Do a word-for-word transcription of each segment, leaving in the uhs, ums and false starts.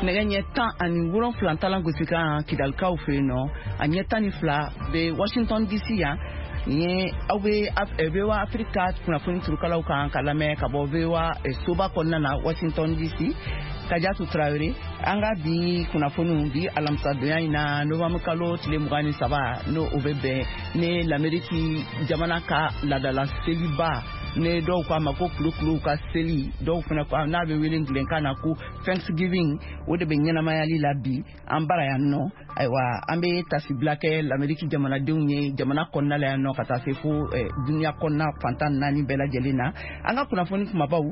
Nɛgɛ ɲɛ tan ani wolonfila talan gosikan Kidalikaw fɛ yen nɔ, a ɲɛ tan ni fila bɛ Washington D C yan. Nin ye aw bɛ V O A Afrique kunnafoni turukalaw kan ka lamɛn ka bɔ V O A soba kɔnɔna na Washington D C. Kadiatou Traoré, an ka bi kunnafoniw bi alamisadonya in na novembre kalo tile mugan ni saba, n'o o bɛ bɛn ni l'Amérique jamana ka laadala seliba, ne dɔw k'a ma ko kulukuluw ka seli, dɔw fana ko n'a bɛ wele anglais na ko Thanksgiving, o de bɛ ɲɛnamayali la bi an bara yan nɔ. Ayiwa, an bɛ tasibila kɛ l'Amérique jamanadenw ye jamana kɔnɔna la yan nɔ ka taa se fo dunuya kɔnɔna fantan naani bɛɛ lajɛlen na. An ka kunnafoni kumabaw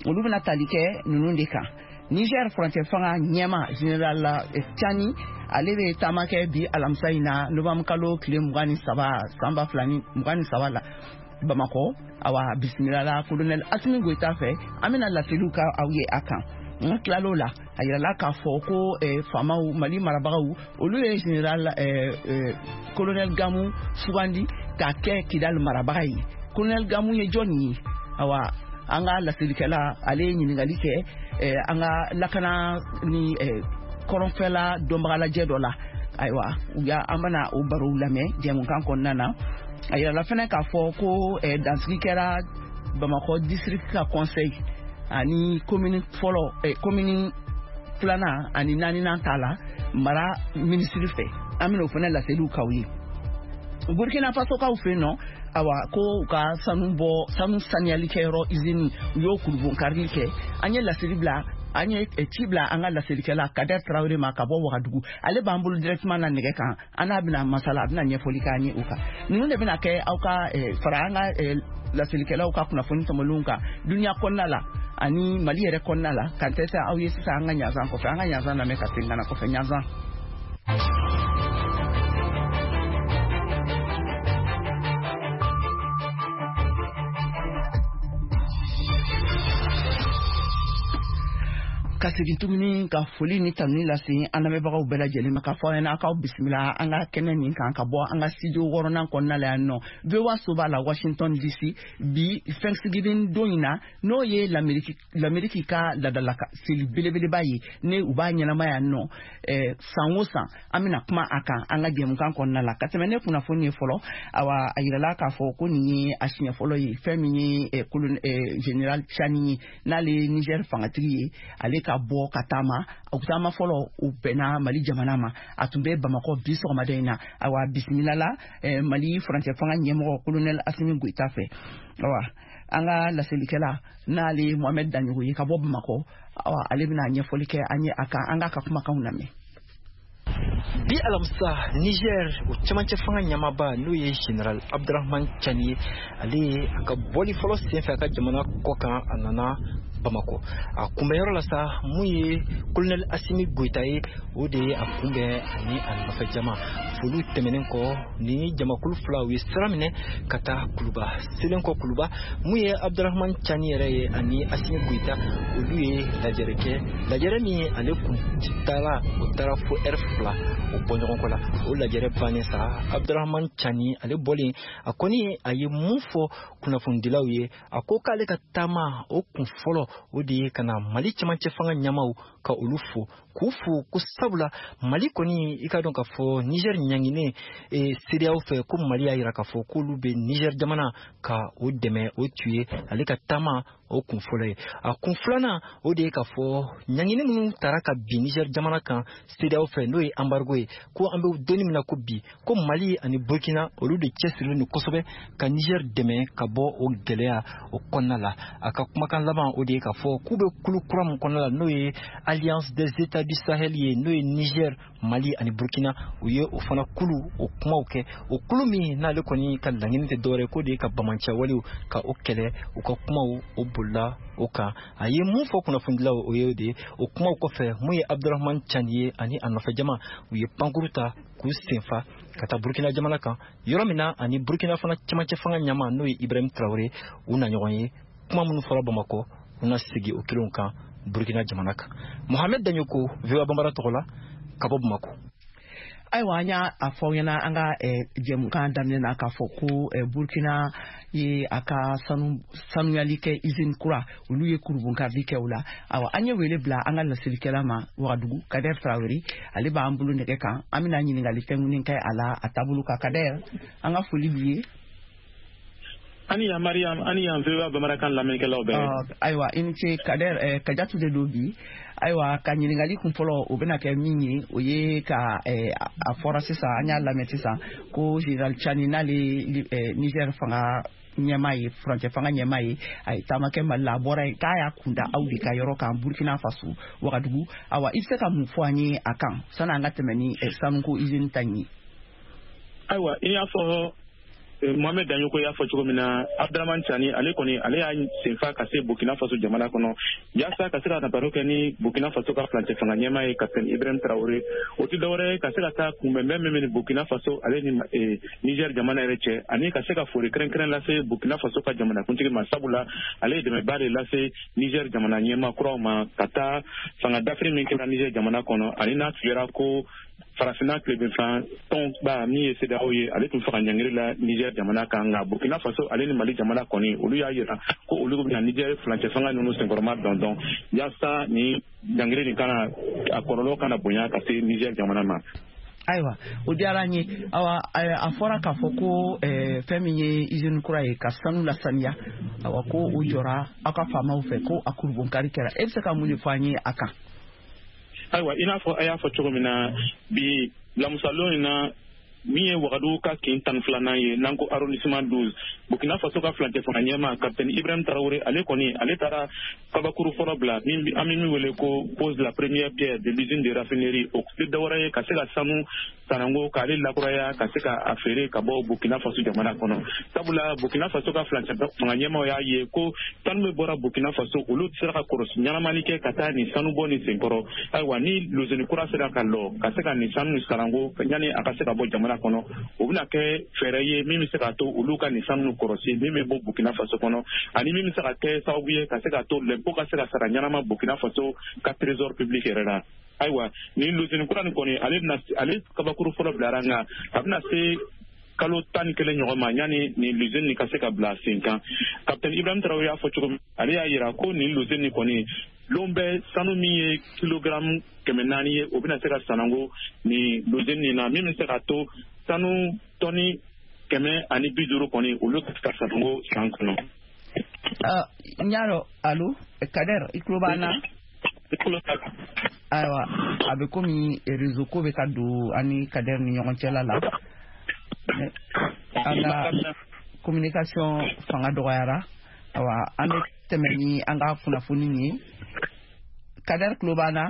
olu bɛna tali kɛ ninnu de kan. Niger furancɛ fanga ɲɛma général Tiani, ale bɛ taama kɛ bi alamisa in na novembre kalo tile mugan ni saba san ba fila ni mugan ni saba la Bamakɔ. Awa, bisimila la colonel Assimi Goïta fɛ, an bɛna laseliw kɛ aw ye a kan. N tilal'o la, a yirala k'a fɔ ko faamaw, Mali marabagaw, olu ye général colonel Gamou sugandi k'a kɛ Kidal marabaga ye. Colonel Gamou ye jɔnni ye? Awa, an ka laselikɛla ale ye ɲininkali kɛ an ka lakana ni kɔrɔnfɛla dɔnbagalajɛ dɔ la. Ayiwa, u y'a an bɛna o barow lamɛn jɛmukan kɔnɔna na. A yirala fɛnɛ k'a fɔ ko dansigi kɛra Bamakɔ district ka conseil ani commune fɔlɔ, commune filanan ani naaninan ta la mara minisiri fɛ. An bɛna o fɛnɛ laseliw k'aw ye. Burkina Faso kaw fɛ yen nɔ, awa, ko u ka sanu bɔ, sanu saniyalikɛyɔrɔ usine, u y'o kurubonkarili kɛ. An ye laseli bila, an ye ci bila an ka laselikɛla Kader Traoré ma ka bɔ Wagadugu. Ale b'an bolo directement na nɛgɛ kan, an n'a bɛna masala, a bɛna ɲɛfɔli k'an ye o kan. Ninnu de bɛna kɛ aw ka fara an ka laselikɛlaw ka kunnafoni tɔmɔlenw kan dunuya kɔnɔna la ani Mali yɛrɛ kɔnɔna la. K'an tɛ se aw ye sisan an ka ɲanzan kɔfɛ, an ka ɲanzan lamɛn ka segin ka na kɔfɛ ɲanzan. Ka segin tuguni ka foli ni tanuni lase an lamɛnbagaw bɛɛ lajɛlen ma, ka fɔ aw ɲɛna k'aw bisimila an ka kɛnɛ nin kan ka bɔ an ka studio wɔɔrɔnan kɔnɔna la yan nɔ V O A soba la Washington D C. Bi Thanksgiving don in na, n'o ye l'Amérique l'Amérique ka laadala seli belebeleba ye, ne u b'a ɲɛnama yan nɔ san o san. An bɛna kuma a kan an ka jɛmukan kɔnɔna la. Ka tɛmɛ ne kunnafoni ye fɔlɔ, awa, a yirala k'a fɔ ko nin ye a siɲɛ fɔlɔ ye fɛn min ye général Tiani ye, n'ale ye Niger fangatigi ye, ale ka bɔ ka taama. O taama fɔlɔ u bɛnna Mali jamana ma, a tun bɛ Bamakɔ bi sɔgɔmada in na. Awa, bisimila la Mali furancɛ fanga ɲɛmɔgɔ colonel Assimi Goïta fɛ. Awa, an ka laselikɛla n'ale ye Mohamed Daɲogo ye ka bɔ Bamakɔ, awa, ale bɛna ɲɛfɔli kɛ an ye a kan. An k'a ka kumakanw lamɛn. Bi alamisa, Niger o cɛmancɛ fanga ɲɛmaaba n'o ye général Abdourahamane Tiani ye, ale ye a ka bɔli fɔlɔ senfɛ a ka jamana kɔ kan, a nana Bamakɔ. A kunbɛnyɔrɔ la sa, mun ye colonel Assimi Goïta ye, o de ye a kunbɛn ani a nɔfɛ jama. Foliw tɛmɛnen kɔ, ni jamakulu fila u ye sira minɛ ka taa Kuluba. Selen kɔ Kuluba, mun ye Abdourahamane Tiani yɛrɛ ye ani Assimi Goïta, olu ye lajɛrɛ kɛ. Lajɛrɛ min ale kun taara, o taara fo ɛri fila o bɔ ɲɔgɔn kɔ la. O lajɛrɛ bannen sa, Abdourahamane Tiani ale bɔlen, a kɔni a ye mun fɔ kunnafonidilaw ye, a ko k'ale ka taama o kun fɔlɔ o de ye ka na Mali cɛmancɛ fanga ɲɛmaw ka olu fo, k'u fo ko sabula Mali kɔni i ka dɔn k'a fɔ Niger ɲanginen CEDEAO fɛ, ko Mali y'a yira k'a fɔ k'olu bɛ Niger jamana ka o dɛmɛ. O tun ye ale ka taama o kun fɔlɔ ye. A kun filanan o de ye k'a fɔ ɲangini minnu taara ka bin Niger jamana kan CEDEAO fɛ, n'o ye embargo ye, ko an bɛ donni min na ko bi, ko Mali ani Burkina olu de cɛsirilen don kosɛbɛ ka Niger dɛmɛ ka bɔ o gɛlɛya o kɔnɔna la. A ka kumakan laban o de ye k'a fɔ k'u bɛ kulu kura min kɔnɔna la, n'o ye Alliance des États du Sahel ye, n'o ye Niger, Mali ani Burkina, u ye o fana kulu o kumaw kɛ. O kulu min n'ale kɔni ka laɲini tɛ dɔwɛrɛ k'o de ye ka bamancɛwalew ka o kɛlɛ. U ka kumaw o bolila o kan. A ye mun fɔ kunnafonidilaw o ye o de ye. O kumaw kɔfɛ, mun ye Abdourahamane Tiani ye ani a nɔfɛ jama, u ye pankuru ta k'u senfa ka taa Burkina jamana kan, yɔrɔ min na ani Burkina fana cɛmancɛ fanga ɲɛmaa n'o ye Ibrahim Traoré, u na ɲɔgɔn ye. Kuma minnu fɔra Bamakɔ, u na segin o kelenw kan Burkina jamana kan. Mohamed Daɲoko, V O A Bambara tɔgɔ la ka bɔ Bamakɔ. Ayiwa, an y'a fɔ aw ɲɛna an ka jɛmukan daminɛ na k'a fɔ ko Burkina ye a ka sanu sanuyali kɛ usine kura, olu ye kurunbonkarili kɛ o la. Ayiwa, an ye wele bila an ka laselikɛla ma Wagadugu, Kader Tarawele, ale b'an bolo nɛgɛ kan. An bɛna ɲininkali tɛnkunnen kɛ a la a taabolo kan. Kader, an ka foli b'i ye. Ani yan Mariam, ani yan V O A bamanankan lamɛnnikɛlaw bɛɛ. Ayiwa, i ni ce Kader. Kajatu de don bi. Ayiwa, ka ɲininkali kun fɔlɔ, o bɛna kɛ min ye, o ye ka a fɔra sisan, an y'a lamɛn sisan ko général Tiani, n'ale Niger fanga ɲɛmaa ye, furancɛ fanga ɲɛmaa ye, a ye taama kɛ Mali la, a bɔra yen k'a y'a kunda aw de ka yɔrɔ kan, Burkina Faso, Wagadugu. Ayiwa, i bɛ se ka mun fɔ an ye a kan sanni an ka tɛmɛ ni sanuko usine ta in ye? Ayiwa, i y'a fɔ, Mohamed Dagnoko y'a fɔ cogo min na, Abdramane Tiani, ale kɔni, ale y'a senfa ka se Burkina Faso jamana kɔnɔ yaasa ka se ka na baro kɛ ni Burkina Faso ka furancɛ fanga ɲɛmaa ye, Capitaine Ibrahim Traoré. O tɛ dɔwɛrɛ ye ka se ka taa kunbɛnbɛn min bɛ ni Burkina Faso ale ni Niger jamana yɛrɛ cɛ, ani ka se ka foli kɛrɛnkɛrɛn lase Burkina Faso ka jamanakuntigi ma, sabula ale ye dɛmɛba de lase Niger jamana ɲɛmaa kuraw ma ka taa fanga dafiri min kɛra Niger jamana kɔnɔ, ani n'a tun ko Farafinna tilebinfan tɔnba min ye CEDEAO ye, ale tun faga ɲangiri la Niger jamana kan. Nka Burkina Faso ale ni Mali jamana kɔni, olu y'a yira ko olu bɛna Niger furancɛ fanga ninnu senkɔrɔma dɔn dɔn yaasa ni ɲangiri nin kana a kɔlɔlɔ kana bonya ka se Niger jamana ma. Ayiwa, o diyara an ye. Awa, a fɔra k'a fɔ ko fɛn min ye usine kura ye ka sanu lasaniya, awa, ko o jɔra aw ka faamaw fɛ, ko a kurubonkari kɛra. E bɛ se ka mun de fɔ an ye a kan? Ayiwa, i n'a fɔ a y'a fɔ cogo min na, bi lamusalon in na, min ye Wagadugu ka kin tan filanan ye, n'an ko arrondissement douze, Burkina Faso ka furancɛ fanga ɲɛmaa Capitaine Ibrahim Traoré, ale kɔni, ale taara kabakuru fɔlɔ bila, min an bɛ min wele ko pose la première pierre de l'usine de raffinerie. O tɛ dɔwɛrɛ ye ka se ka sanu sanango k'ale lakuraya ka se ka a feere ka bɔ Burkina Faso jamana kɔnɔ, sabula Burkina Faso ka furancɛ fanga ɲɛmaaw y'a ye ko sanu min bɔra Burkina Faso, olu tɛ se ka kɔlɔsi ɲɛnamani kɛ ka taa nin sanu bɔ nin senkɔrɔ. Ayiwa, ni lozini kura sera ka lɔ ka se ka nin sanu sanango yanni a ka se ka bɔ jamana kɔnɔ, o bɛna kɛ fɛɛrɛ ye min bɛ se k'a to olu ka nin sanu kɔlɔsi min bɛ bɔ Burkina Faso kɔnɔ, ani min bɛ se ka kɛ sababu ye ka se ka to lɛnpo ka se ka sara ɲɛnama Burkina Faso ka trésor public yɛrɛ la. Ayiwa, nin lozini kura nin kɔni, ale bɛna ale kabakuru fɔlɔ bilara, nka a bɛna se kalo tan ni kelen ɲɔgɔn ma yanni nin lozini nin ka se ka bila sen kan. Capitaine Ibrahim Traoré y'a fɔ cogo min, ale y'a yira ko nin lozini nin kɔni, lon bɛɛ sanu min ye kilogramme kɛmɛ naani ye, o bɛna se ka sanango nin lozini nin na, min bɛ se ka to sanu tɔni kɛmɛ ani bi duuru kɔni, olu ka se ka sanango san kɔnɔ. N y'a dɔn. Allo Kader, i tulo b'an na? Ayiwa, a bɛ komi réseau ko bɛ ka don an ni Kader ni ɲɔgɔn cɛla la, an ka communication fanga dɔgɔyara. Ayiwa, an bɛ tɛmɛ ni an ka kunnafoni ye. Kader tulo b'an na?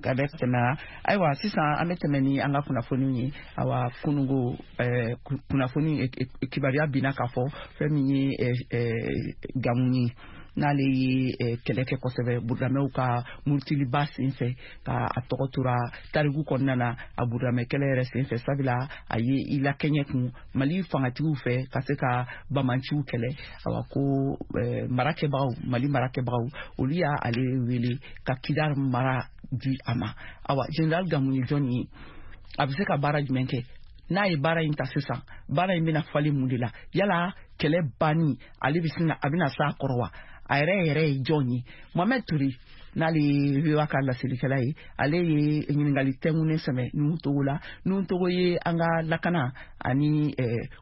Kader tɛmɛna. Ayiwa, sisan an bɛ tɛmɛ ni an ka kunnafoni ye. Ayiwa, kunungo ɛɛ kunnafoni kibaruya binna k'a fɔ fɛn min ye Gamu ye, n'ale ye kɛlɛ kɛ kosɛbɛ burudamɛw ka murutiliba senfɛ, ka a tɔgɔ tora tariku kɔnɔna na a burudamɛ kɛlɛ yɛrɛ senfɛ, sabula a ye i lakɛɲɛ kun Mali fangatigiw fɛ ka se ka bamanciw kɛlɛ. Awa, ko marakɛbagaw, Mali marakɛbagaw, olu y'a ale wele ka Kidal mara di a ma. Awa, général Gamu ye jɔn ye? A bɛ se ka baara jumɛn kɛ? N'a ye baara in ta sisan, baara in bɛna falen mun de la? Yala kɛlɛ banni, ale bɛ sin a bɛna s'a kɔrɔ wa? A yɛrɛ yɛrɛ ye jɔn ye? Mohamed Touré, n'ale ye V O A ka laselikɛla ye, ale ye ɲininkali tɛnkunnen sɛmɛ Nuhu Togo la. Nuhu Togo ye an ka lakana ani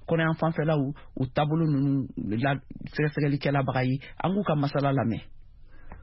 kɔnɔyan fanfɛlaw u taabolo ninnu la sɛgɛsɛgɛlikɛlabaga ye. An k'u ka masala lamɛn.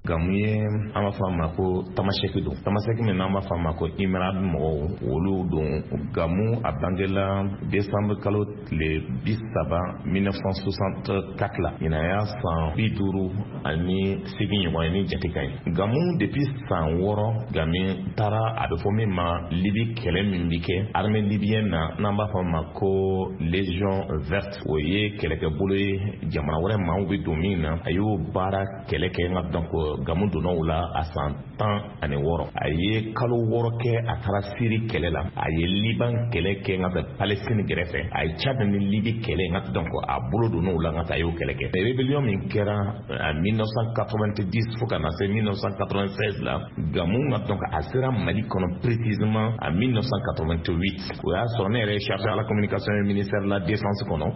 Gamu ye, an b'a fɔ a ma ko Tamasɛki don, Tamasɛki min n'an b'a fɔ a ma ko Imerad mɔgɔw, olu don. Gamu a bangela décembre kalo tile bi saba mille neuf cent soixante-quatre la, ɲinan y'a san bi duuru ani seegin ɲɔgɔn ye ni jate ka ɲi. Gamu, depuis san wɔɔrɔ, Gami taara a bɛ fɔ min ma Libi kɛlɛ min bi kɛ armée libyenne na, n'an b'a fɔ a ma ko Légion verte, o ye kɛlɛkɛbolo ye jamana wɛrɛ maaw bɛ don min na. A y'o baara kɛlɛ kɛ, nka donc Gamu donna o la a san tan ani wɔɔrɔ. A ye kalo wɔɔrɔ kɛ, a taara Siri kɛlɛ la, a ye Liban kɛlɛ kɛ, n ka Palestine gɛrɛfɛ, a ye Tchad ni Libi kɛlɛ, n ka donc a bolo donna o la, n ka a y'o kɛlɛ kɛ. Rébellion min kɛra en mille neuf cent quatre-vingt-dix fo ka na se mille neuf cent quatre-vingt-seize la, Gamu ka donc a sera Mali kɔnɔ précisément en mille neuf cent quatre-vingt-huit. O y'a sɔrɔ ne yɛrɛ ye chargé à la communication ministère de la Défense kɔnɔ.